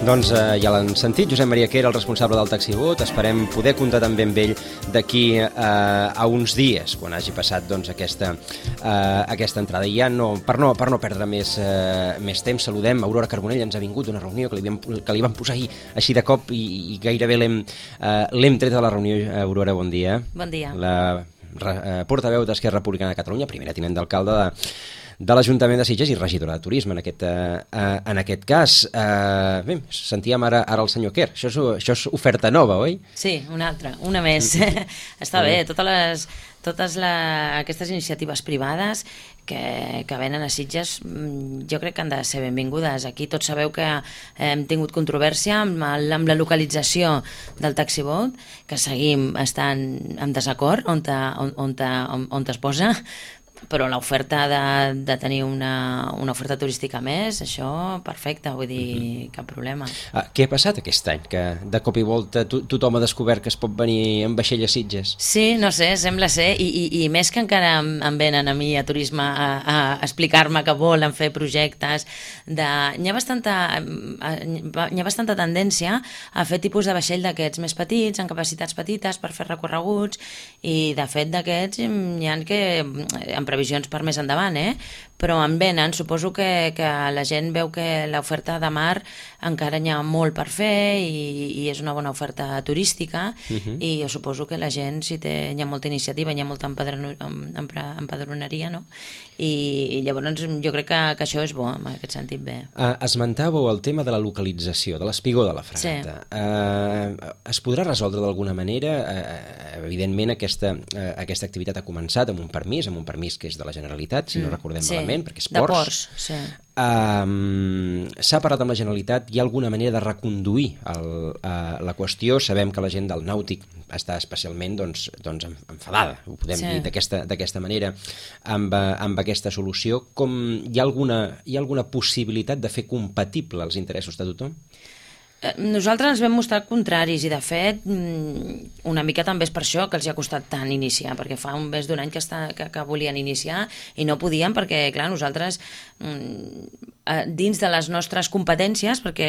Doncs ja l'han sentit, Josep Maria Quer, el responsable del Taxibot. Esperem poder comptar també amb ell d'aquí a uns dies, quan hagi passat doncs, aquesta entrada. I ja per no perdre més temps, saludem Aurora Carbonell. Ens ha vingut una reunió que li vam posar ahir així de cop i gairebé l'hem tret de la reunió. Aurora, bon dia. Bon dia. La portaveu d'Esquerra Republicana de Catalunya, primera tinent d'alcalde de l'Ajuntament de Sitges i regidora de Turisme, en aquest cas. Bé, sentíem ara el senyor Quer. Això és oferta nova, oi? Sí, una altra, una més. Està bé, totes aquestes iniciatives privades que venen a Sitges jo crec que han de ser benvingudes. Aquí tots sabeu que hem tingut controvèrsia amb la localització del Taxibot, que seguim estant en desacord on es posa, però l'oferta de tenir una oferta turística més, això perfecte, vull dir, cap problema. Què ha passat aquest any? Que de cop i volta tothom ha descobert que es pot venir en vaixell a Sitges? Sí, no sé, sembla ser, i més que encara em venen a mi a turisme a explicar-me que volen fer projectes. Hi ha bastanta tendència a fer tipus de vaixell d'aquests més petits, amb capacitats petites per fer recorreguts, i de fet d'aquests hi ha que en previsions per més endavant, però en venen. Suposo que la gent veu que l'oferta de mar encara n'hi ha molt per fer i és una bona oferta turística, i jo suposo que la gent, si hi ha molta iniciativa, hi ha molta empadroneria, no? I llavors jo crec que això és bo, en aquest sentit bé. Esmentàveu el tema de la localització, de l'espigó de la fragata. Sí. Es podrà resoldre d'alguna manera? Evidentment aquesta activitat ha començat amb un permís que és de la Generalitat, si no recordem malament, perquè és ports. De ports, sí. S'ha parlat amb la Generalitat. Hi ha alguna manera de reconduir la qüestió? Sabem que la gent del nàutic està especialment enfadada, ho podem dir d'aquesta manera, amb aquesta solució. Hi ha alguna possibilitat de fer compatible els interessos de tothom? Nosaltres ens vam mostrar contraris, i de fet una mica també és per això que els ha costat tant iniciar, perquè fa més d'un any que volien iniciar i no podien, perquè clar, nosaltres dins de les nostres competències, perquè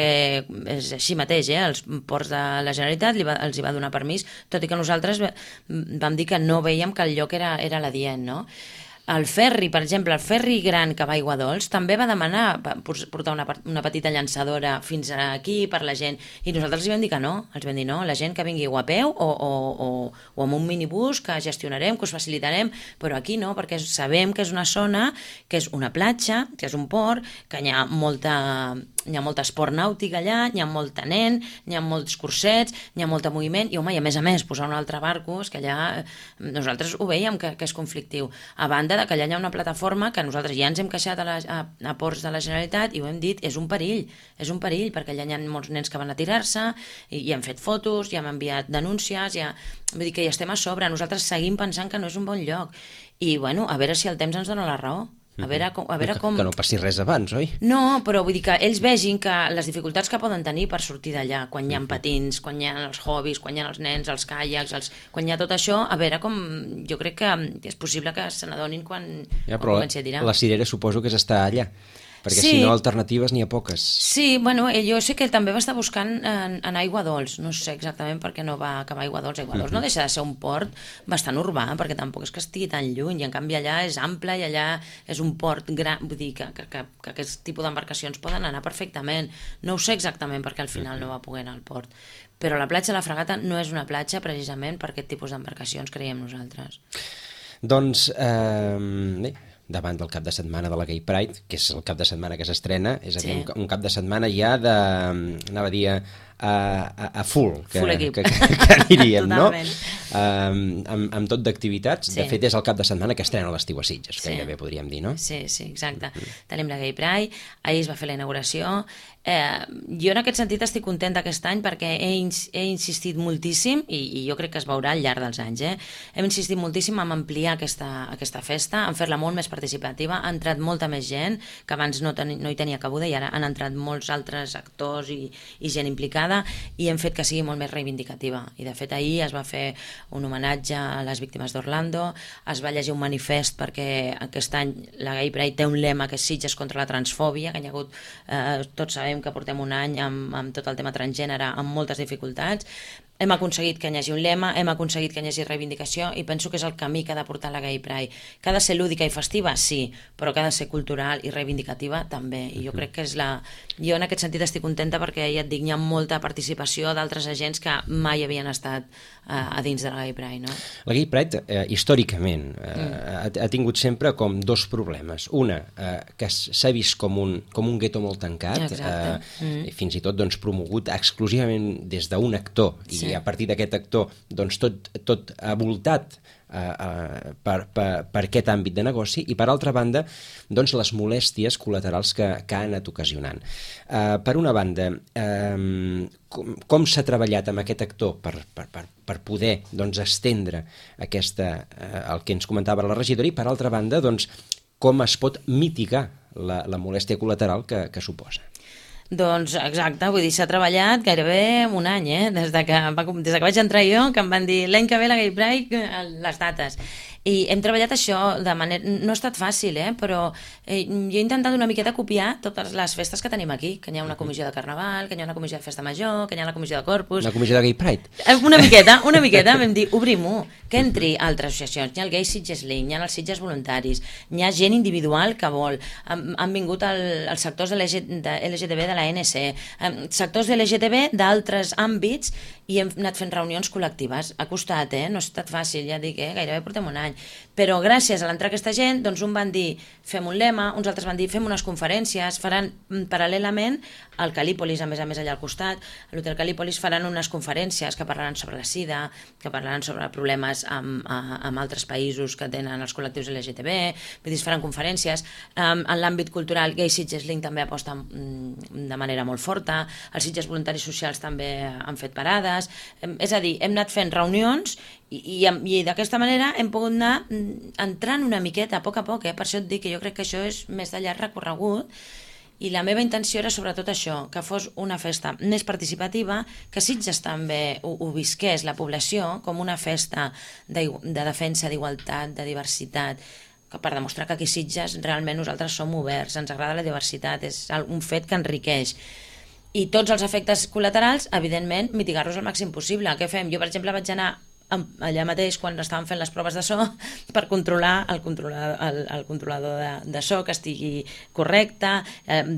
és així mateix, els ports de la Generalitat els hi va donar permís, tot i que nosaltres vam dir que no veiem que el lloc era l'adient, no? El ferri, per exemple, el ferri gran que va a Aigua Dols també va demanar portar una petita llançadora fins aquí per la gent, i nosaltres els vam dir que no. Els vam dir no, la gent que vingui o a peu o amb un minibús que gestionarem, que us facilitarem, però aquí no, perquè sabem que és una zona, que és una platja, que és un port, que hi ha molt esport nàutic allà, hi ha molt nen, hi ha molts cursets, hi ha molt moviment, i home, i a més posar un altre barco, és que allà nosaltres ho veiem que és conflictiu. A banda de que allà hi ha una plataforma que nosaltres ja ens hem queixat a ports de la Generalitat i ho hem dit, és un perill, perquè allà hi ha molts nens que van a tirar-se i hem fet fotos, ja hem enviat denúncies, vull dir que ja estem a sobre. Nosaltres seguim pensant que no és un bon lloc, i bueno, a veure si el temps ens dona la raó. A veure com... Que no passi res abans, oi? No, però vull dir que ells vegin que les dificultats que poden tenir per sortir d'allà, quan hi ha patins, quan hi ha els hobbies, quan hi ha els nens, els caiacs, quan hi ha tot això, a veure com... Jo crec que és possible que se n'adonin quan comenci a tirar. La cirera suposo que és estar allà, perquè si no, alternatives n'hi ha poques. Sí, bueno, jo sé que també va estar buscant en Aigua Dols, no sé exactament per què no va acabar Aigua Dols. Aigua Dols no deixa de ser un port bastant urbà, perquè tampoc és que estigui tan lluny, i en canvi allà és ample i allà és un port gran, vull dir que aquest tipus d'embarcacions poden anar perfectament. No ho sé exactament perquè al final no va poder anar al port, però la platja de la Fragata no és una platja precisament per aquest tipus d'embarcacions, creiem nosaltres. Doncs, bé, davant del cap de setmana de la Gay Pride, que és el cap de setmana que s'estrena, és a dir, un cap de setmana ja anava a dir a full equip, que diríem, no? Amb tot d'activitats. De fet, és el cap de setmana que estrena l'estiu a Sitges, gairebé podríem dir, no? Sí, exacte. Tenim la Gay Pride, ahir es va fer la inauguració. Jo en aquest sentit estic contenta aquest any perquè he insistit moltíssim, i jo crec que es veurà al llarg dels anys, hem insistit moltíssim en ampliar aquesta festa, en fer-la molt més participativa. Ha entrat molta més gent, que abans no hi tenia cabuda, i ara han entrat molts altres actors i gent implicada, reivindicada i hem fet que sigui molt més reivindicativa. I de fet ahir es va fer un homenatge a les víctimes d'Orlando, es va llegir un manifest perquè aquest any la Gay Pride té un lema que és Sitges contra la transfòbia, que hi ha hagut, tots sabem que portem un any amb tot el tema transgènere amb moltes dificultats. Hem aconseguit que hi hagi un lema, hem aconseguit que hi hagi reivindicació i penso que és el camí que ha de portar la Gay Pride. Que ha de ser lúdica i festiva? Sí, però que ha de ser cultural i reivindicativa també. I jo crec que és la... Jo en aquest sentit estic contenta perquè, ja et dic, hi ha molta participació d'altres agents que mai havien estat a dins de la Gay Pride, no? La Gay Pride, històricament, ha tingut sempre com dos problemes. Una, que s'ha vist com un gueto molt tancat, fins i tot doncs, promogut exclusivament des d'un actor, i a partir d'aquest actor doncs, tot ha voltat per aquest àmbit de negoci, i per altra banda doncs, les molèsties col·laterals que ha anat ocasionant. Per una banda, com s'ha treballat amb aquest actor per poder doncs, estendre el que ens comentava la regidora, i per altra banda doncs, com es pot mitigar la molèstia col·lateral que suposa. Doncs exacte, vull dir, s'ha treballat gairebé un any, des que vaig entrar jo, que em van dir l'any que ve la Gay Pride, les dates. I hem treballat això de manera... No ha estat fàcil, però jo he intentat una miqueta copiar totes les festes que tenim aquí, que hi ha una comissió de Carnaval, que hi ha una comissió de Festa Major, que hi ha la comissió de Corpus... Una comissió de Gay Pride? Una miqueta, vam dir, obrim-ho, que entri altres associacions. Hi ha el Gay Sitges Link, hi ha els Sitges Voluntaris, hi ha gent individual que vol. Han vingut els sectors de LGTB de l'ANC, sectors de LGTB d'altres àmbits, i hem anat fent reunions col·lectives. Ha costat, no ha estat fàcil, ja dic, gairebé portem un any. Però gràcies a l'entrar aquesta gent, doncs un van dir fem un lema, uns altres van dir fem unes conferències, faran paral·lelament al Calípolis, a més allà al costat, a l'Hotel Calípolis faran unes conferències que parlaran sobre la sida, que parlaran sobre problemes amb altres països que tenen els col·lectius LGTB, vull dir, es faran conferències. En l'àmbit cultural, Gay Sitges Link també aposta de manera molt forta, els Sitges Voluntaris Socials també han fet parades, és a dir, hem anat fent reunions i d'aquesta manera hem pogut anar entrant una miqueta a poc, per això et dic que jo crec que això és més de llarg recorregut, i la meva intenció era sobretot això, que fos una festa més participativa, que Sitges també ho visqués la població com una festa de defensa d'igualtat, de diversitat, que per demostrar que aquí a Sitges realment nosaltres som oberts, ens agrada la diversitat, és un fet que enriqueix. I tots els efectes col·laterals, evidentment, mitigar-los al màxim possible. Què fem? Jo, per exemple, vaig anar allà mateix quan estaven fent les proves de so per controlar el controlador de so que estigui correcte,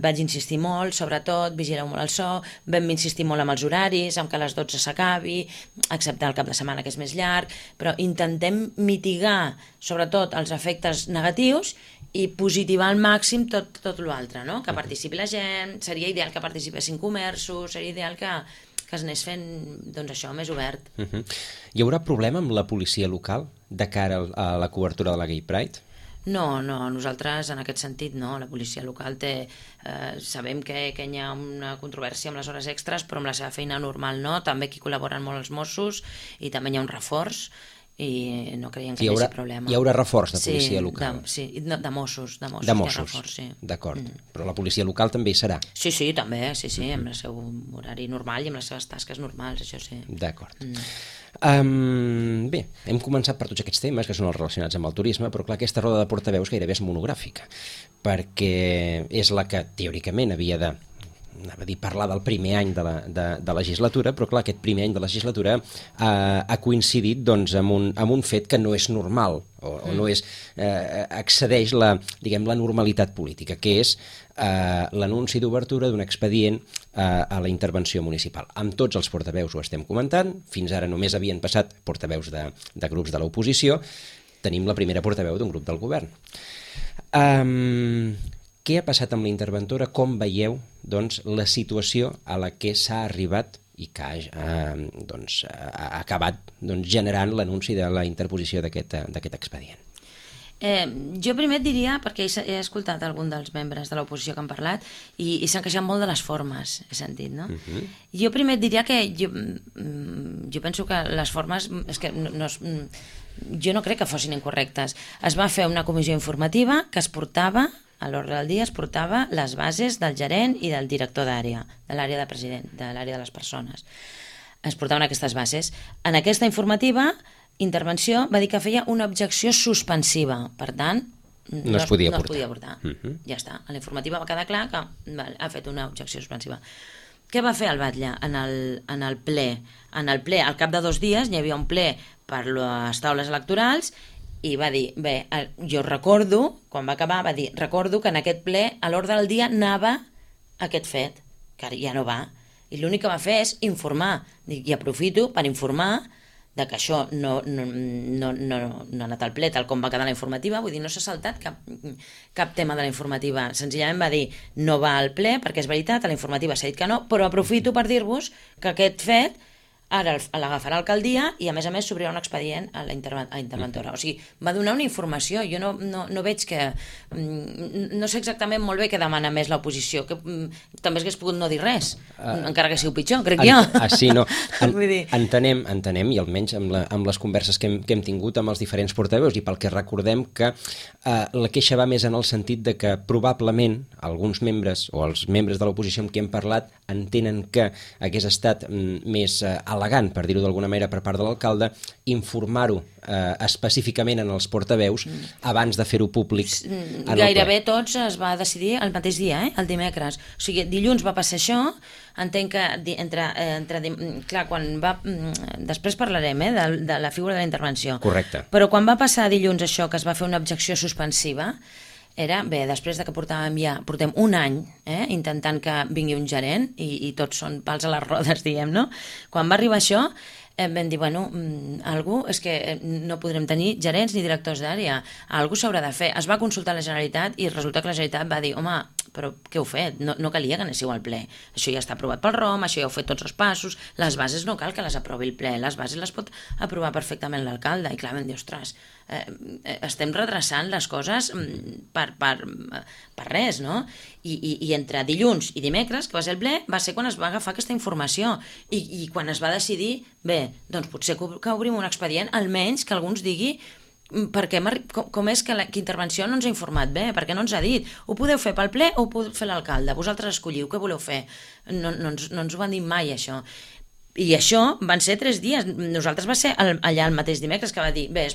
vaig insistir molt, sobretot vigileu molt el so, vam insistir molt amb els horaris, amb que a les 12 s'acabi, excepte el cap de setmana que és més llarg, però intentem mitigar sobretot els efectes negatius i positivar al màxim tot l'altre, no? Que participi la gent, seria ideal que participessin comerços, seria ideal que es anés fent, doncs això, més obert. Hi haurà problema amb la policia local de cara a la cobertura de la Gay Pride? No, nosaltres en aquest sentit no. La policia local té... sabem que hi ha una controvèrsia amb les hores extres, però amb la seva feina normal no. També aquí col·laboren molt els Mossos i també hi ha un reforç i no creiem que hi hagi problema. Hi haurà reforç de policia local? Sí, de Mossos. De Mossos, d'acord. Però la policia local també hi serà? Sí, també, amb el seu horari normal i amb les seves tasques normals, això sí. D'acord. Bé, hem començat per tots aquests temes que són els relacionats amb el turisme, però clar, aquesta roda de portaveus gairebé és monogràfica, perquè és la que teòricament havia de parlar del primer any de legislatura, però clar, aquest primer any de legislatura ha coincidit doncs, amb un fet que no és normal o no és, excedeix la normalitat política, que és l'anunci d'obertura d'un expedient a la intervenció municipal. Amb tots els portaveus ho estem comentant, fins ara només havien passat portaveus de grups de l'oposició, tenim la primera portaveu d'un grup del govern. Què ha passat amb la interventora? Com veieu doncs, la situació a la que s'ha arribat i que ha acabat generant l'anunci de la interposició d'aquest expedient? Jo primer et diria, perquè he escoltat algun dels membres de l'oposició que han parlat i s'han queixat molt de les formes, he sentit, no? Jo primer et diria que jo penso que les formes és que jo no crec que fossin incorrectes. Es va fer una comissió informativa que es portava a l'ordre del dia es portava les bases del gerent i del director d'àrea, de l'àrea de president, de l'àrea de les persones. Es portaven aquestes bases. En aquesta informativa, intervenció va dir que feia una objecció suspensiva. Per tant, no es podia portar. Ja està. A la informativa va quedar clar que ha fet una objecció suspensiva. Què va fer el batlle en el ple? En el ple, al cap de 2 dies, hi havia un ple per les taules electorals i va dir, bé, jo recordo, quan va acabar, va dir, recordo que en aquest ple a l'ordre del dia anava aquest fet, que ara ja no va. I l'únic que va fer és informar. I aprofito per informar de que això no ha anat al ple tal com va quedar la informativa, vull dir, no s'ha saltat cap tema de la informativa. Senzillament va dir, no va al ple, perquè és veritat, a la informativa s'ha dit que no, però aprofito per dir-vos que aquest fet ara l'agafarà l'alcaldia i a més s'obrirà un expedient a la interventora. O sigui, va donar una informació. Jo no veig que... No sé exactament molt bé què demana més l'oposició, que també hagués pogut no dir res, encara que sigui pitjor, crec jo. Sí, no. Entenem, i almenys amb les converses que hem tingut amb els diferents portaveus i pel que recordem que la queixa va més en el sentit de que probablement alguns membres o els membres de l'oposició amb qui hem parlat entenen que hagués estat més elegant, per dir-ho d'alguna manera, per part de l'alcalde, informar-ho específicament en els portaveus abans de fer-ho públic. Gairebé tots es va decidir el mateix dia, el dimecres. O sigui, dilluns va passar això, entenc que clar, quan va... Després parlarem de la figura de la intervenció. Correcte. Però quan va passar dilluns això, que es va fer una objecció suspensiva, era, bé, després de que portem un any intentant que vingui un gerent i tots són pals a les rodes, diguem, no? Quan va arribar això, vam dir, bueno, és que no podrem tenir gerents ni directors d'àrea, algú s'haurà de fer. Es va consultar la Generalitat i resulta que la Generalitat va dir, home, però què heu fet? No calia que anéssiu al ple. Això ja està aprovat pel ROM, això ja heu fet tots els passos, les bases no cal que les aprovi el ple, les bases les pot aprovar perfectament l'alcalde. I clar, vam dir, ostres, estem retrasant les coses per res, no? I entre dilluns i dimecres, que va ser el ple, va ser quan es va agafar aquesta informació i quan es va decidir, bé, doncs potser que obrim un expedient, almenys que algú ens digui com és que la intervenció no ens ha informat bé, perquè no ens ha dit, ho podeu fer pel ple o ho podeu fer l'alcalde, vosaltres escolliu, què voleu fer? No ens ho van dir mai, això. I això van ser 3 dies. Nosaltres va ser allà el mateix dimecres que va dir, bé, es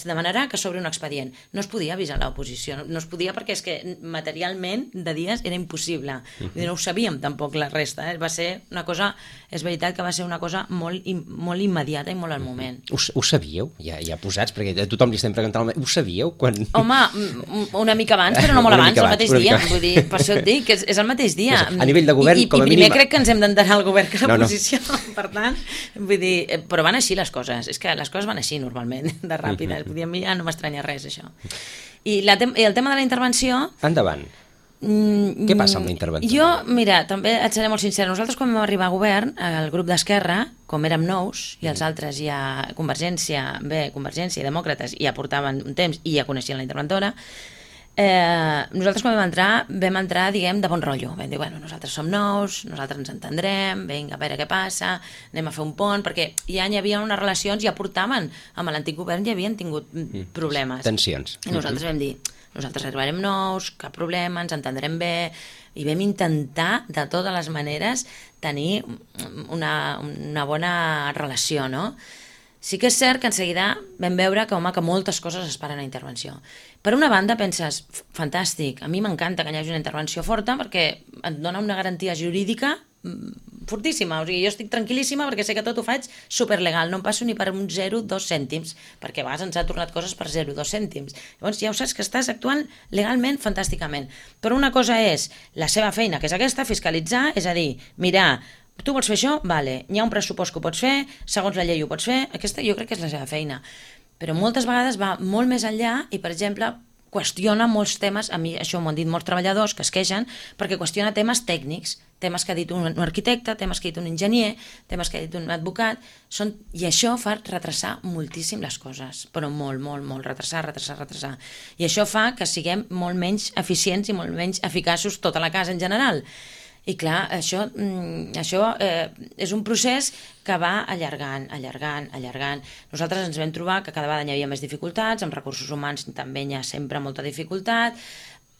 demanarà que s'obri un expedient. No es podia avisar l'oposició, no es podia perquè és que materialment de dies era impossible. No ho sabíem tampoc la resta. Va ser una cosa, és veritat que va ser una cosa molt immediata i molt al moment. Ho sabíeu? Ja posats, perquè a tothom li estem preguntant, ho sabíeu? Home, una mica abans, però no molt abans, el mateix dia. Vull dir, per això et dic, que és el mateix dia. A nivell de govern, com a mínim... I primer crec que ens hem d'enterar al govern que l'oposició. Per tant, vull dir, però van així les coses, és que les coses van així normalment, de ràpides, ja no m'estranya res això. I el tema de la intervenció... Endavant. Què passa amb la intervenció? Jo, mira, també et seré molt sincera, nosaltres quan vam arribar a govern, el grup d'Esquerra, com érem nous, i els altres ja, Convergència i Demòcrates, ja portaven un temps i ja coneixien la interventora, nosaltres quan vam entrar, diguem, de bon rotllo. Vam dir, bueno, nosaltres som nous, nosaltres ens entendrem, vinga, a veure què passa, anem a fer un pont, perquè ja hi havia unes relacions, ja portaven, amb l'antic govern ja havien tingut problemes. Tensions. I nosaltres vam dir, nosaltres arribarem nous, cap problema, ens entendrem bé, i vam intentar, de totes les maneres, tenir una bona relació, no? Sí que és cert que en seguida vam veure que moltes coses es paren a intervenció. Per una banda penses, fantàstic, a mi m'encanta que hi hagi una intervenció forta perquè et dona una garantia jurídica fortíssima, o sigui, jo estic tranquil·líssima perquè sé que tot ho faig superlegal, no em passo ni per un 0,2 cèntims, perquè a vegades ens ha tornat coses per 0,2 cèntims. Llavors ja ho saps que estàs actuant legalment fantàsticament. Però una cosa és la seva feina, que és aquesta, fiscalitzar, és a dir, mirar, tu vols fer això? Vale. Hi ha un pressupost que ho pots fer, segons la llei ho pots fer, aquesta jo crec que és la seva feina. Però moltes vegades va molt més enllà i, per exemple, qüestiona molts temes, a mi això m'ho han dit molts treballadors que es queixen, perquè qüestiona temes tècnics, temes que ha dit un arquitecte, temes que ha dit un enginyer, temes que ha dit un advocat, i això fa retrasar moltíssim les coses, però molt, retrasar. I això fa que siguem molt menys eficients i molt menys eficaços tota la casa en general. I clar, això és un procés que va allargant. Nosaltres ens vam trobar que cada vegada hi havia més dificultats, amb recursos humans també hi ha sempre molta dificultat,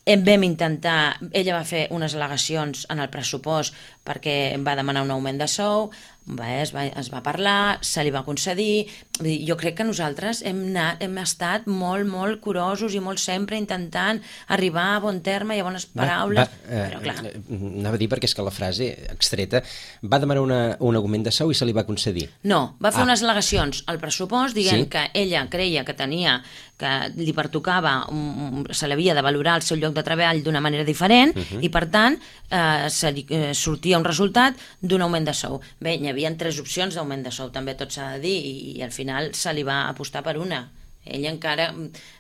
Vam intentar, ella va fer unes al·legacions en el pressupost perquè va demanar un augment de sou, es va parlar, se li va concedir. Jo crec que nosaltres hem estat molt, molt curosos i molt sempre intentant arribar a bon terme i a bones paraules, però clar. Anava a dir perquè és que la frase extreta va demanar un augment de sou i se li va concedir. No, va fer unes al·legacions al pressupost dient que ella creia que li pertocava, se l'havia de valorar el seu lloc de treball d'una manera diferent i per tant sortia un resultat d'un augment de sou. Bé, hi havia 3 opcions d'augment de sou, també tot s'ha de dir, i al final se li va apostar per una. Ella encara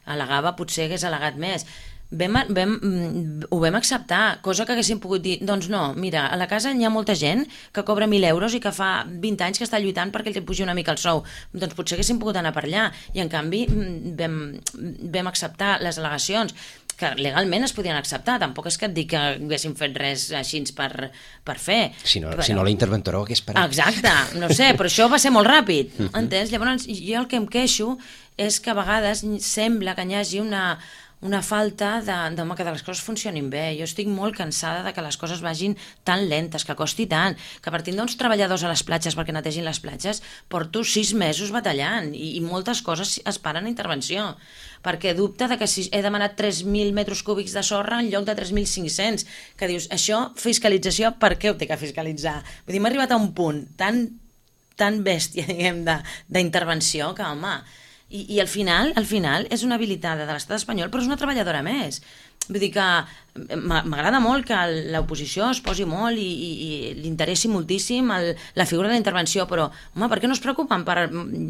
al·legava, potser hagués al·legat més. Ho vam acceptar, cosa que haguéssim pogut dir, doncs no, mira, a la casa hi ha molta gent que cobra 1.000 euros i que fa 20 anys que està lluitant perquè li pugi una mica el sou, doncs potser haguéssim pogut anar per allà, i en canvi vam acceptar les al·legacions que legalment es podien acceptar, tampoc és que et dic que haguéssim fet res així per fer. Si no, la interventora ho hagués parat. Exacte, no sé, però això va ser molt ràpid, entens? Llavors jo el que em queixo és que a vegades sembla que hi hagi una falta de que les coses funcionin bé. Jo estic molt cansada de que les coses vagin tan lentes, que costi tant, que partint d'uns treballadors a les platges perquè netegin les platges, porto 6 mesos batallant i moltes coses es paren a intervenció, perquè dubte de que si he demanat 3.000 metres cúbics de sorra en lloc de 3.500, que dius, això, fiscalització, per què ho té que fiscalitzar? Vull dir, m'ha arribat a un punt tan bèstia, diguem, d'intervenció, que, home, i al final és una habilitada de l'estat espanyol, però és una treballadora més. Vull dir que m'agrada molt que l'oposició es posi molt i li interessi moltíssim la figura de la intervenció, però, home, per què no es preocupen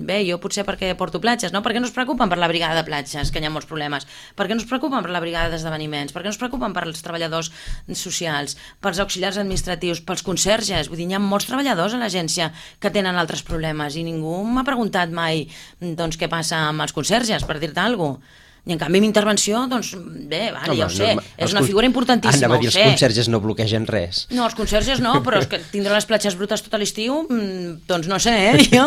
bé, jo potser perquè porto platges, no? Per què no es preocupen per la brigada de platges, que hi ha molts problemes? Per què no es preocupen per la brigada d'esdeveniments? Per què no es preocupen per els treballadors socials, pels auxiliars administratius, pels conserges? Vull dir, hi ha molts treballadors a l'agència que tenen altres problemes i ningú m'ha preguntat mai, doncs, què passa amb els conserges, per dir-te alguna cosa. I en canvi, intervenció, doncs bé, vale, ja ho sé, és una figura importantíssima, anava a dir, els conserges no bloquegen res. No, els conserges no, però és que tindre les platges brutes tot l'estiu, doncs no sé, jo,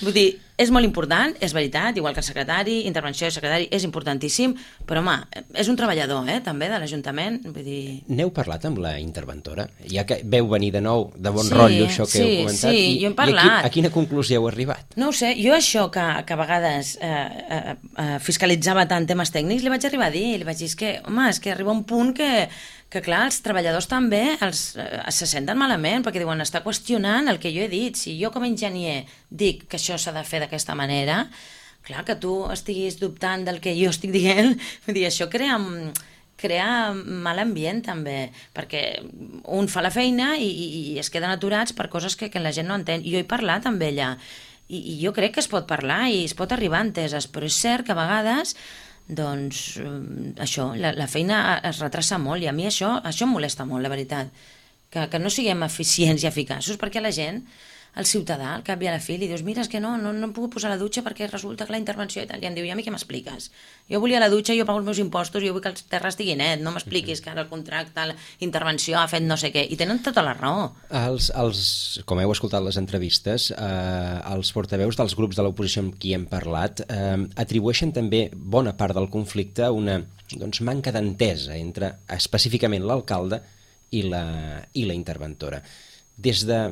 vull dir, és molt important, és veritat, igual que el secretari, intervenció de secretari és importantíssim, però home, és un treballador, també, de l'Ajuntament, vull dir... N'heu parlat amb la interventora? Ja que veu venir de nou, de bon rotllo, això que heu comentat, sí, jo hem parlat. A quina conclusió heu arribat? No ho sé, jo això que a vegades fiscalitzava tant temes tècnics, li vaig arribar a dir, li vaig dir, és que arriba un punt que clar, els treballadors també se senten malament, perquè diuen, està qüestionant el que jo he dit. Si jo com a enginyer dic que això s'ha de fer d'aquesta manera, clar, que tu estiguis dubtant del que jo estic dient, vull dir, això crea mal ambient també, perquè un fa la feina i es queden aturats per coses que la gent no entén. Jo he parlat amb ella i jo crec que es pot parlar i es pot arribar a enteses, però és cert que a vegades doncs això, la feina es retrassa molt i a mi això em molesta molt, la veritat, que no siguem eficients i eficaços, perquè la gent, el ciutadà, al cap i a la fi, li dius, mira, és que no em puc posar a la dutxa perquè resulta que la intervenció i tal, i em diu, i a mi què m'expliques? Jo volia la dutxa, jo pago els meus impostos, jo vull que el terra estigui net, no m'expliquis que ara el contracte, la intervenció ha fet no sé què, i tenen tota la raó. Com heu escoltat les entrevistes, els portaveus dels grups de l'oposició amb qui hem parlat atribueixen també bona part del conflicte a una manca d'entesa entre específicament l'alcalde i la interventora. Des de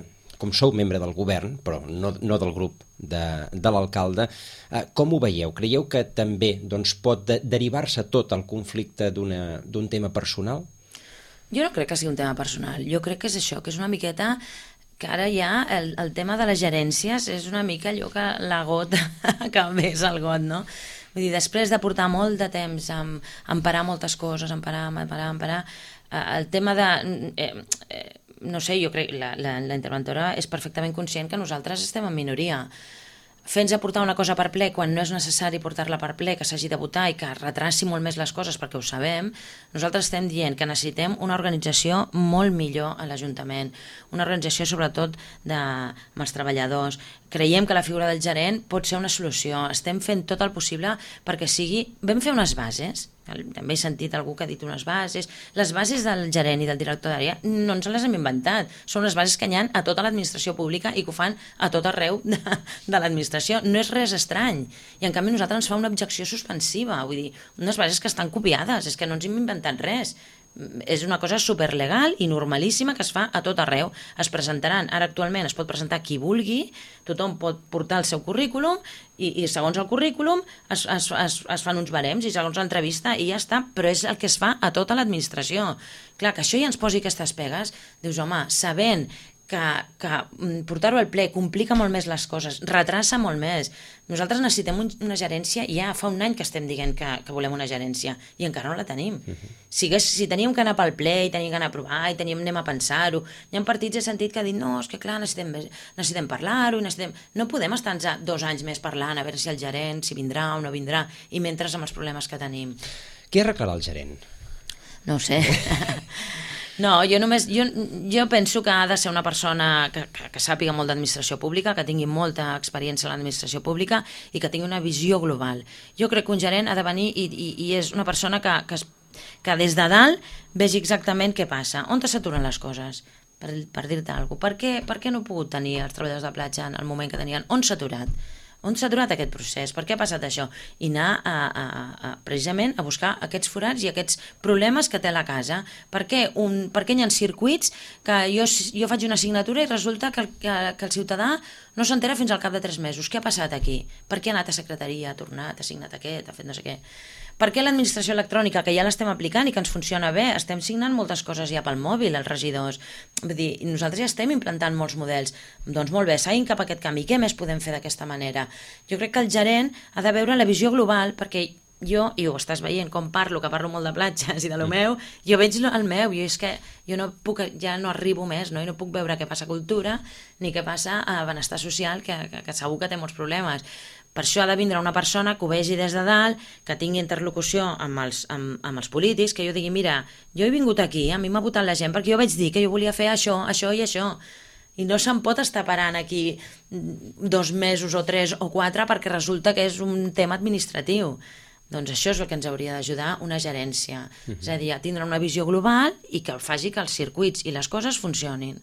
com sou membre del govern, però no del grup de l'alcalde, com ho veieu? Creieu que també pot derivar-se tot el conflicte d'un tema personal? Jo no crec que sigui un tema personal. Jo crec que és això, que és una miqueta que ara ja el tema de les gerències és una mica allò que la gota que ves al got, no? Vull dir, després de portar molt de temps a emparar moltes coses, emparar, el tema de... no sé, jo crec que la interventora és perfectament conscient que nosaltres estem en minoria. Fer-nos aportar una cosa per ple quan no és necessari portar-la per ple, que s'hagi de votar i que retraci molt més les coses perquè ho sabem, nosaltres estem dient que necessitem una organització molt millor a l'Ajuntament, una organització sobretot amb els treballadors. Creiem que la figura del gerent pot ser una solució, estem fent tot el possible perquè sigui... Vam fer unes bases també he sentit algú que ha dit unes bases. Les bases del gerent i del director d'àrea no ens les hem inventat, són les bases que hi ha a tota l'administració pública i que ho fan a tot arreu de l'administració. No és res estrany. I en canvi a nosaltres ens fa una objecció suspensiva, vull dir, unes bases que estan copiades, és que no ens hem inventat res. És una cosa superlegal i normalíssima que es fa a tot arreu. Es presentaran, ara actualment es pot presentar qui vulgui, tothom pot portar el seu currículum i segons el currículum es fan uns barems i segons l'entrevista i ja està, però és el que es fa a tota l'administració. Clar, que això ja ens posi aquestes pegues, dius, home, sabent que portar-ho al ple complica molt més les coses, retrassa molt més. Nosaltres necessitem una gerència, ja fa un any que estem dient que volem una gerència i encara no la tenim. Si teníem que anar pel ple i teníem que anar a provar i anem a pensar-ho, hi ha partits he sentit que han dit no, és que clar, necessitem parlar-ho, no podem estar 2 anys més parlant a veure si el gerent, si vindrà o no vindrà, i mentre amb els problemes que tenim. Què arreglarà el gerent? No ho sé. No, jo penso que ha de ser una persona que sàpiga molt d'administració pública, que tingui molta experiència en l'administració pública i que tingui una visió global. Jo crec que un gerent ha de venir i és una persona que des de dalt vegi exactament què passa, on s'aturen les coses, per dir-te alguna cosa. Per què no he pogut tenir els treballadors de platja en el moment que tenien? On s'ha aturat? On s'ha aturat aquest procés? Per què ha passat això? I anar precisament a buscar aquests forats i aquests problemes que té la casa. Per què hi ha circuits que jo faig una assignatura i resulta que el ciutadà no s'entera fins al cap de 3 mesos? Què ha passat aquí? Per què ha anat a secretaria, ha tornat, ha signat aquest, ha fet no sé què? Per què l'administració electrònica, que ja l'estem aplicant i que ens funciona bé, estem signant moltes coses ja pel mòbil, els regidors? Vull dir, nosaltres ja estem implantant molts models. Doncs molt bé, seguim cap a aquest canvi. Què més podem fer d'aquesta manera? Jo crec que el gerent ha de veure la visió global, perquè jo, i ho estàs veient, com que parlo molt de platges i de lo meu, jo veig el meu, és que jo ja no arribo més, no? I no puc veure què passa a cultura ni què passa a benestar social, que segur que té molts problemes. Per això ha de vindre una persona que ho vegi des de dalt, que tingui interlocució amb els polítics, que jo digui, mira, jo he vingut aquí, a mi m'ha votat la gent perquè jo vaig dir que jo volia fer això, això i això. I no se'n pot estar parant aquí 2 mesos o 3 o 4 perquè resulta que és un tema administratiu. Doncs això és el que ens hauria d'ajudar una gerència. És a dir, a tindre una visió global i que faci que els circuits i les coses funcionin.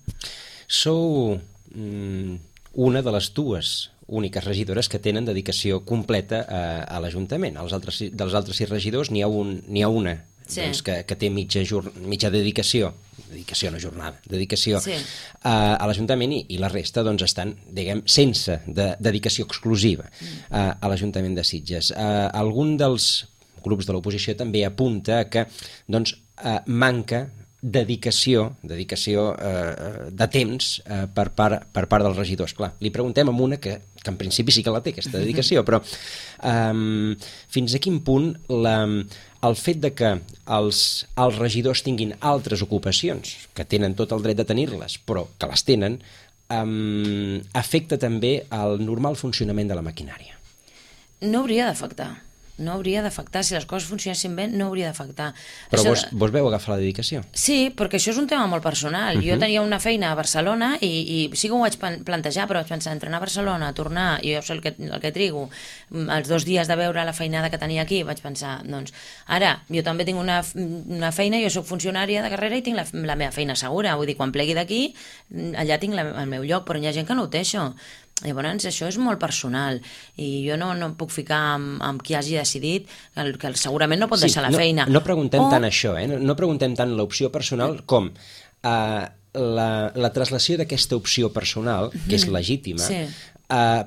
Sou una de les dues úniques regidores que tenen dedicació completa a l'Ajuntament. Dels altres 6 regidors n'hi ha una doncs, que té mitja dedicació no jornada, dedicació a l'Ajuntament i la resta doncs, estan, diguem, sense dedicació exclusiva a l'Ajuntament de Sitges. Algun dels grups de l'oposició també apunta que doncs, manca dedicació de temps per part dels regidors. Clar, li preguntem a una que en principi sí que la té, aquesta dedicació, però fins a quin punt el fet de que els regidors tinguin altres ocupacions, que tenen tot el dret de tenir-les, però que les tenen, afecta també el normal funcionament de la maquinària? No hauria d'afectar. No hauria d'afectar, si les coses funcionessin bé no hauria d'afectar. Però vos veu agafar la dedicació? Sí, perquè això és un tema molt personal. Jo tenia una feina a Barcelona i sí que ho vaig plantejar, però vaig pensar, entrenar a Barcelona, tornar, i jo sé el que trigo, els 2 dies de veure la feinada que tenia aquí, vaig pensar, doncs, ara, jo també tinc una feina, jo soc funcionària de carrera i tinc la meva feina segura, vull dir, quan plegui d'aquí, allà tinc el meu lloc, però hi ha gent que no ho té, això. Llavors, això és molt personal i jo no em puc ficar amb qui hagi decidit que segurament no pot deixar la feina. No preguntem tant això, no preguntem tant l'opció personal com la traslació d'aquesta opció personal, que és legítima,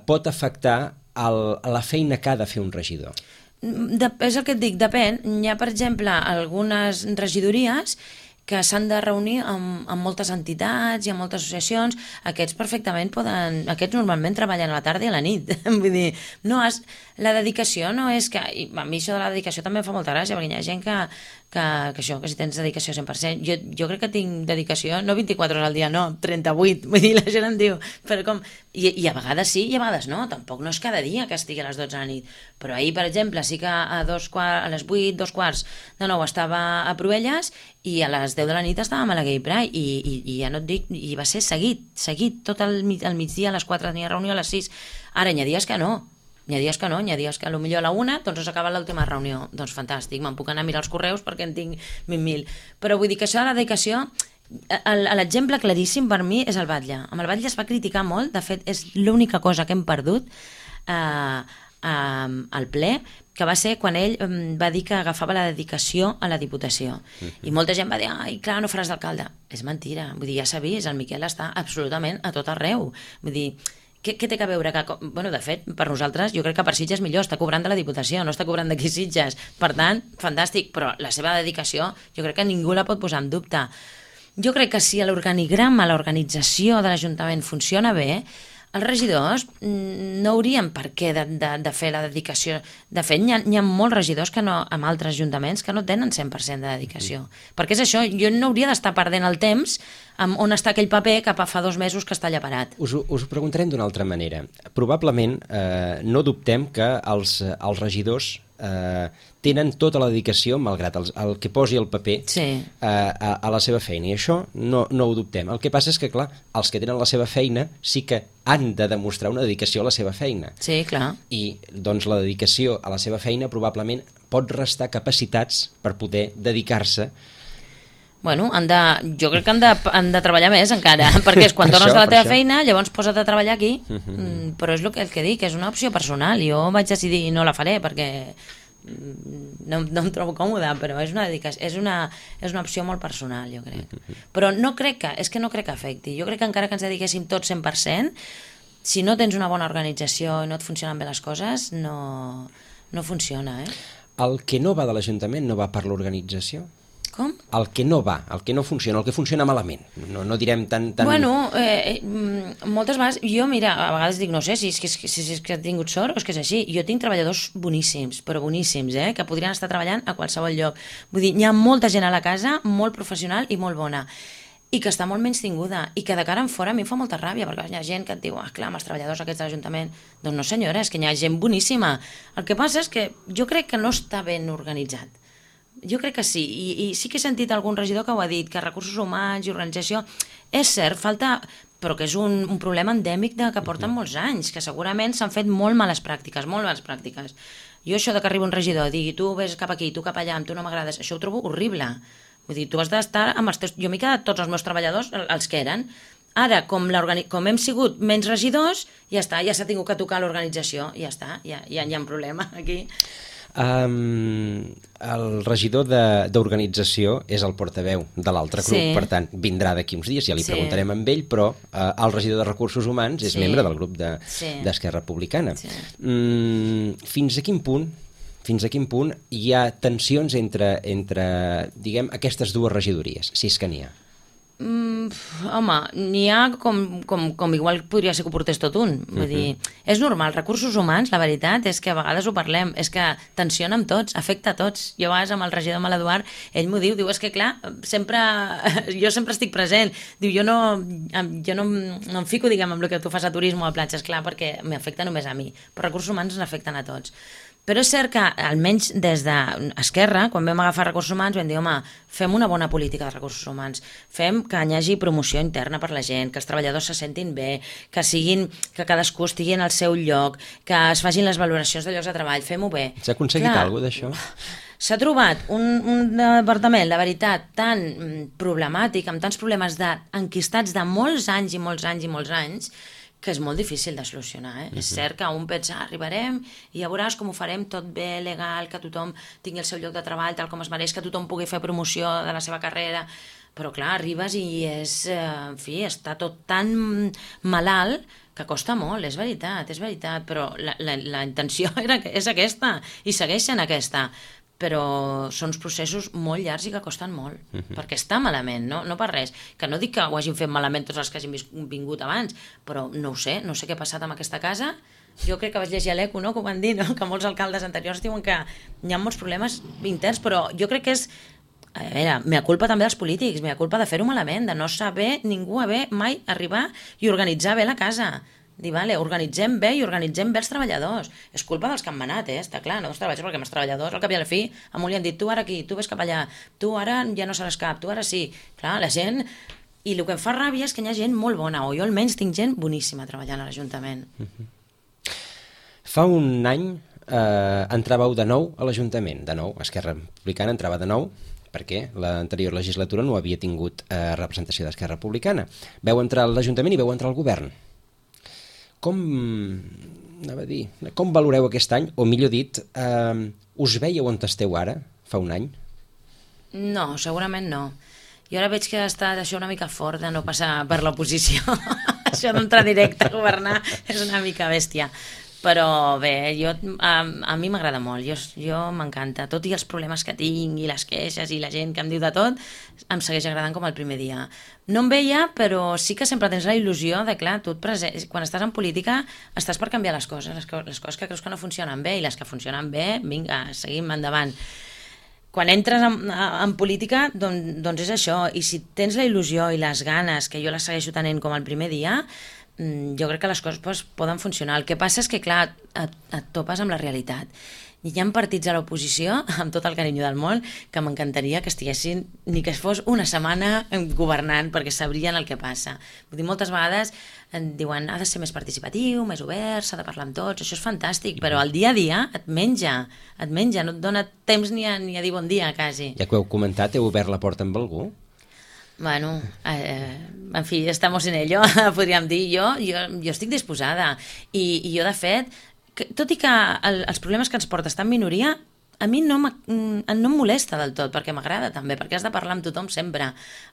pot afectar la feina que ha de fer un regidor. És el que et dic, depèn. Hi ha, per exemple, algunes regidories que s'han de reunir amb moltes entitats i amb moltes associacions. Aquests normalment treballen a la tarda i a la nit. Vull dir, la dedicació no és que... A mi això de la dedicació també em fa molta gràcia, perquè hi ha gent que si tens dedicació 100%, jo crec que tinc dedicació, no 24 hores al dia, no, 38, vull dir, la gent em diu, però com... I a vegades sí i a vegades no, tampoc no és cada dia que estigui a les 12 de la nit, però ahir, per exemple, sí que a les 8, 2:15 estava a Proelles i a les 10 de la nit estàvem a la Gay Pride i ja no et dic, i va ser seguit, tot el migdia a les 4 tenia reunió, a les 6, ara hi ha dies que no, N'hi ha dies que no, n'hi ha dies que potser a la 1 doncs s'acaba l'última reunió. Doncs fantàstic, me'n puc anar a mirar els correus perquè en tinc 20.000. Però vull dir que això de la dedicació, l'exemple claríssim per mi és el Batlle. Amb el Batlle es va criticar molt, de fet és l'única cosa que hem perdut al ple, que va ser quan ell va dir que agafava la dedicació a la Diputació. I molta gent va dir, ai, clar, no faràs d'alcalde. És mentira, vull dir, ja s'ha vist, el Miquel està absolutament a tot arreu. Vull dir, què té a veure? Bueno, de fet, per nosaltres, jo crec que per Sitges millor, està cobrant de la Diputació, no està cobrant d'aquí Sitges. Per tant, fantàstic, però la seva dedicació jo crec que ningú la pot posar en dubte. Jo crec que si l'organigrama, l'organització de l'Ajuntament funciona bé, els regidors no haurien per què de fer la dedicació. De fet, hi ha molts regidors que no, amb altres ajuntaments que no tenen 100% de dedicació. Perquè és això, jo no hauria d'estar perdent el temps on està aquell paper que fa 2 mesos que està allà parat. Us ho preguntarem d'una altra manera. Probablement no dubtem que els regidors tenen tota la dedicació, malgrat el que posi el paper, a la seva feina, i això no ho dubtem. El que passa és que, clar, els que tenen la seva feina sí que han de demostrar una dedicació a la seva feina. Sí, clar. I, doncs, la dedicació a la seva feina probablement pot restar capacitats per poder dedicar-se. Bueno, jo crec que han de treballar més encara, perquè és quan tornes de la teva feina, llavors posa't a treballar aquí. Però és el que dic, és una opció personal. Jo vaig decidir no la faré perquè no em trobo còmoda, però és una opció molt personal, jo crec. Però no crec que afecti. Jo crec que encara que ens dediquéssim tots 100%, si no tens una bona organització i no et funcionen bé les coses, no funciona, El que no va de l'Ajuntament no va per l'organització? Com? El que no va, el que no funciona, el que funciona malament. No direm tan... Bueno, moltes vegades, jo, mira, a vegades dic, no sé si és que he tingut sort o és que és així. Jo tinc treballadors boníssims, però boníssims, que podrien estar treballant a qualsevol lloc. Vull dir, hi ha molta gent a la casa, molt professional i molt bona, i que està molt menys tinguda, i que de cara en fora a mi em fa molta ràbia, perquè hi ha gent que et diu, clar, amb els treballadors aquests de l'Ajuntament. Doncs no, senyora, és que hi ha gent boníssima. El que passa és que jo crec que no està ben organitzat. Jo crec que sí, i sí que he sentit algun regidor que ho ha dit, que recursos humans i organització, és cert, falta, però que és un problema endèmic que porten molts anys, que segurament s'han fet molt males pràctiques, molt males pràctiques. Jo això de que arriba un regidor i digui, tu vés cap aquí, tu cap allà, tu no m'agrades, això ho trobo horrible. Vull dir, tu has d'estar amb els teus... Jo m'he quedat tots els meus treballadors, els que eren. Ara, com hem sigut menys regidors, ja està, ja s'ha tingut que tocar l'organització, ja està, ja hi ha un problema aquí. El regidor d'organització és el portaveu de l'altre grup, per tant vindrà d'aquí uns dies, ja li preguntarem amb ell, però el regidor de Recursos Humans és membre del grup d'Esquerra Republicana. Fins a quin punt hi ha tensions entre diguem, aquestes dues regidories, si és que n'hi ha? Home, n'hi ha com igual podria ser que ho portés tot un. Vull dir, és normal, recursos humans, la veritat és que a vegades ho parlem, és que tensiona amb tots, afecta a tots. Jo a vegades amb el regidor amb l'Eduard, ell m'ho diu, és que clar, jo sempre estic present, diu, jo no em fico, diguem, amb el que tu fas a turisme o a platges, clar, perquè m'afecta només a mi, però recursos humans ens afecten a tots. Però és cert que, almenys des d'Esquerra, quan vam agafar recursos humans, vam dir, home, fem una bona política de recursos humans, fem que hi hagi promoció interna per la gent, que els treballadors se sentin bé, que cadascú estigui en el seu lloc, que es facin les valoracions de llocs de treball, fem-ho bé. S'ha aconseguit alguna cosa d'això? S'ha trobat un departament, la veritat, tan problemàtic, amb tants problemes enquistats de molts anys i molts anys i molts anys, que és molt difícil de solucionar. És cert que un pensa, arribarem i ja veuràs com ho farem tot bé, legal, que tothom tingui el seu lloc de treball tal com es mereix, que tothom pugui fer promoció de la seva carrera, però clar, arribes i en fi, està tot tan malalt que costa molt, és veritat, però la intenció és aquesta i segueix sent aquesta. Però són uns processos molt llargs i que costen molt, perquè està malament, no per res. Que no dic que ho hagin fet malament tots els que hagin vingut abans, però no ho sé, no sé què ha passat amb aquesta casa. Jo crec que vaig llegir a l'Eco, que ho van dir, que molts alcaldes anteriors diuen que hi ha molts problemes interns, però jo crec que és, a veure, mea culpa també dels polítics, mea culpa de fer-ho malament, de no saber ningú haver mai arribar i organitzar bé la casa. Dir, vale, organitzem bé i organitzem bé els treballadors. És culpa dels que han manat, està clar, no dels treballadors, perquè els treballadors, al cap i a la fi, a un li han dit, tu ara aquí, tu ves cap allà, tu ara ja no seràs cap, tu ara sí. Clar, la gent... I el que em fa ràbia és que hi ha gent molt bona, o jo almenys tinc gent boníssima treballant a l'Ajuntament. Fa un any entràveu de nou a l'Ajuntament, de nou, Esquerra Republicana entrava de nou, perquè l'anterior legislatura no havia tingut representació d'Esquerra Republicana. Veu entrar a l'Ajuntament i veu entrar al govern. Com valoreu aquest any, o millor dit, us veieu on esteu ara, fa un any? No, segurament no. Jo ara veig que està això una mica fort de no passar per l'oposició. Això d'entrar directe a governar és una mica bèstia. Però bé, a mi m'agrada molt, jo m'encanta. Tot i els problemes que tinc i les queixes i la gent que em diu de tot, em segueix agradant com el primer dia. No em veia, però sí que sempre tens la il·lusió de, clar, quan estàs en política estàs per canviar les coses que creus que no funcionen bé, i les que funcionen bé, vinga, seguim endavant. Quan entres en política, doncs és això, i si tens la il·lusió i les ganes, que jo les segueixo tenint com el primer dia, jo crec que les coses poden funcionar. El que passa és que, clar, et topes amb la realitat. Hi ha partits a l'oposició, amb tot el carinyo del món, que m'encantaria que estiguessin, ni que fos una setmana governant, perquè sabrien el que passa. Vull dir, moltes vegades diuen ha de ser més participatiu, més obert, s'ha de parlar amb tots, això és fantàstic, però el dia a dia et menja, no et dona temps ni a dir bon dia, quasi. Ja que ho heu comentat, heu obert la porta amb algú? Bueno, en fi, estamos en ello, podríem dir. Jo estic disposada. I jo, de fet, tot i que els problemes que ens porta estar en minoria, a mi no em molesta del tot, perquè m'agrada també, perquè has de parlar amb tothom sempre.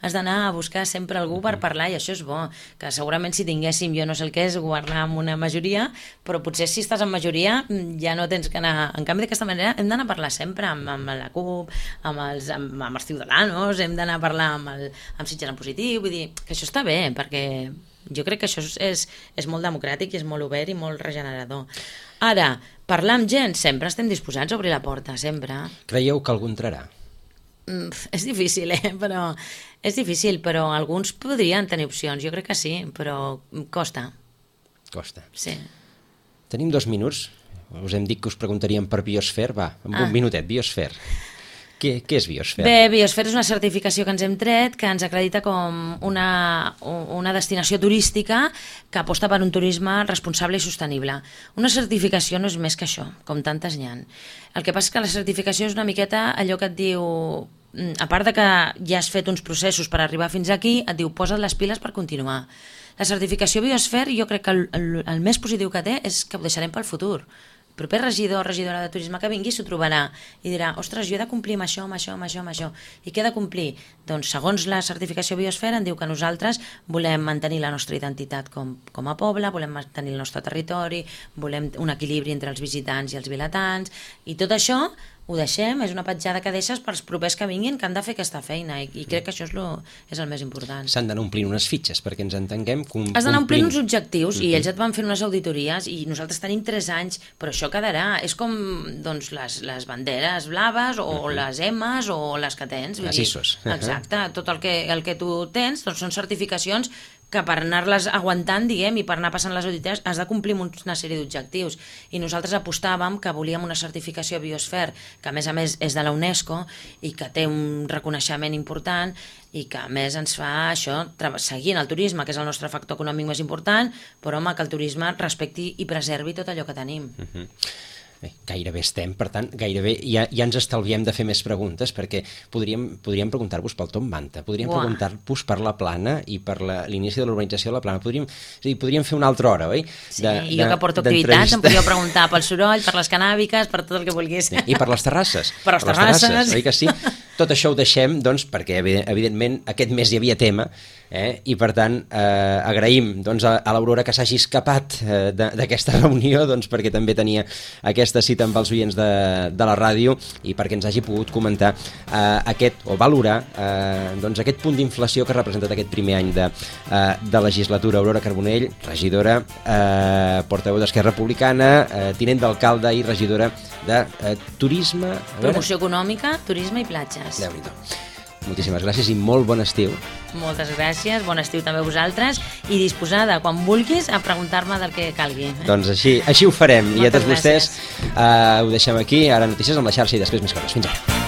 Has d'anar a buscar sempre algú per parlar, i això és bo. Que segurament si tinguéssim, jo no sé el que és, governar amb una majoria, però potser si estàs en majoria ja no tens que anar... En canvi, d'aquesta manera hem d'anar a parlar sempre amb la CUP, amb els Ciudadanos, hem d'anar a parlar amb Sitges en positiu, vull dir que això està bé, perquè jo crec que això és molt democràtic i és molt obert i molt regenerador. Ara, parlar amb gent, sempre estem disposats a obrir la porta, sempre. Creieu que algú entrarà? És difícil, però és difícil, però alguns podrien tenir opcions, jo crec que sí, però costa. Costa. Sí. Tenim 2 minuts, us hem dit que us preguntaríem per Biosfer, va, amb un minutet, Biosfer. Què és Biosfer? Bé, Biosfer és una certificació que ens hem tret, que ens acredita com una destinació turística que aposta per un turisme responsable i sostenible. Una certificació no és més que això, com tantes n'hi ha. El que passa és que la certificació és una miqueta allò que et diu, a part de que ja has fet uns processos per arribar fins aquí, et diu posa't les piles per continuar. La certificació Biosfer, jo crec que el més positiu que té és que ho deixarem pel futur. El proper regidor o regidora de turisme que vingui s'ho trobarà i dirà, ostres, jo he de complir amb això, amb això, amb això, amb això. I què he de complir? Doncs segons la certificació Biosfer en diu que nosaltres volem mantenir la nostra identitat com a poble, volem mantenir el nostre territori, volem un equilibri entre els visitants i els vilatans, i tot això ho deixem, és una petjada que deixes pels propers que vinguin, que han de fer aquesta feina, i crec que això és el més important. S'han d'anar omplint unes fitxes perquè ens entenguem. Has d'anar omplint uns objectius, i ells et van fer unes auditories, i nosaltres tenim 3 anys, però això quedarà. És com doncs, les banderes blaves o les M's o les que tens. Les ISOs. Exacte, tot el que tu tens doncs són certificacions que per anar-les aguantant, diguem, i per anar passant les auditories has de complir una sèrie d'objectius. I nosaltres apostàvem que volíem una certificació Biosfer, que a més és de la UNESCO i que té un reconeixement important i que a més ens fa això, seguint el turisme, que és el nostre factor econòmic més important, però home, que el turisme respecti i preservi tot allò que tenim. Gairebé estem, per tant, gairebé ja ens estalviem de fer més preguntes, perquè podríem preguntar-vos pel Tom Manta, podríem preguntar-vos per la Plana i per l'inici de l'urbanització de la Plana. Podríem fer una altra hora, oi? Sí, i jo que porto activitats em podríeu preguntar pel soroll, per les canàbiques, per tot el que vulguis. I per les terrasses. Per les terrasses. Oi que sí? Tot això ho deixem, doncs, perquè evidentment aquest mes hi havia tema, i per tant agraïm a l'Aurora que s'hagi escapat d'aquesta reunió, doncs, perquè també tenia aquesta cita amb els oients de la ràdio i perquè ens hagi pogut comentar valorar aquest punt d'inflació que ha representat aquest primer any de legislatura. Aurora Carbonell, regidora, portaveu d'Esquerra Republicana, tinent d'alcalde i regidora de Turisme... Promoció econòmica, turisme i platges. Déu-n'hi-do. Moltíssimes gràcies i molt bon estiu. Moltes gràcies, bon estiu també a vosaltres i disposada, quan vulguis, a preguntar-me del que calgui. Doncs així ho farem. I a tots vostès ho deixem aquí, ara notícies amb la xarxa i després més coses. Fins ara.